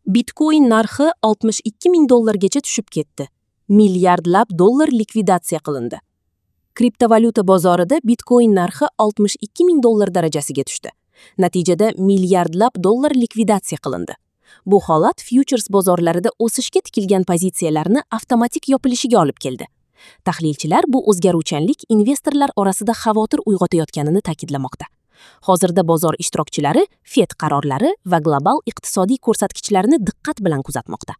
Bitcoin narxi 62 ming dollargacha tushib ketdi. Milliardlab dollar likvidatsiya qilindi. Kriptovalyuta bozorida Bitcoin narxi 62 ming dollar darajasiga tushdi. Natijada milliardlab dollar likvidatsiya qilindi. Bu holat fyuchers bozorlarida o'sishga tikilgan pozitsiyalarni avtomatik yopilishiga olib keldi. Tahlilchilar bu o'zgaruvchanlik investorlar orasida xavotir uyg'otayotganini ta'kidlamoqda. Hozirda bozor ishtirokchilari Fed qarorlari va global iqtisodiy ko'rsatkichlarni diqqat bilan kuzatmoqda.